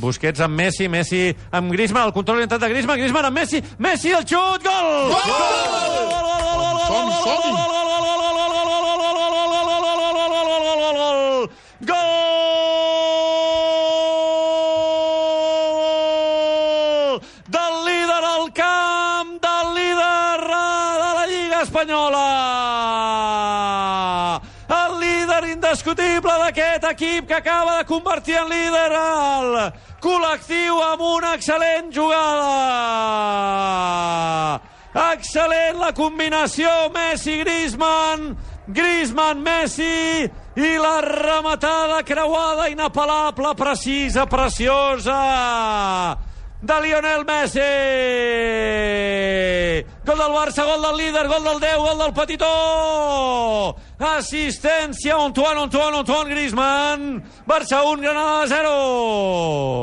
Busquets amb Messi, Messi amb Griezmann, el control orientat de Griezmann, Griezmann amb Messi, Messi el xut, gol! Del líder al camp, del líder de la Lliga Espanyola! El líder indiscutible d'aquest equip que acaba de convertir en líder el col·lectiu amb una excel·lent jugada. Excel·lent la combinació Messi-Griezmann, Griezmann-Messi i la rematada creuada inapel·lable, precisa, preciosa de Lionel Messi. Gol del Barça, gol del líder, gol del 10, gol del petitó. Assistència Antoine Griezmann. Barça 1, Granada 0.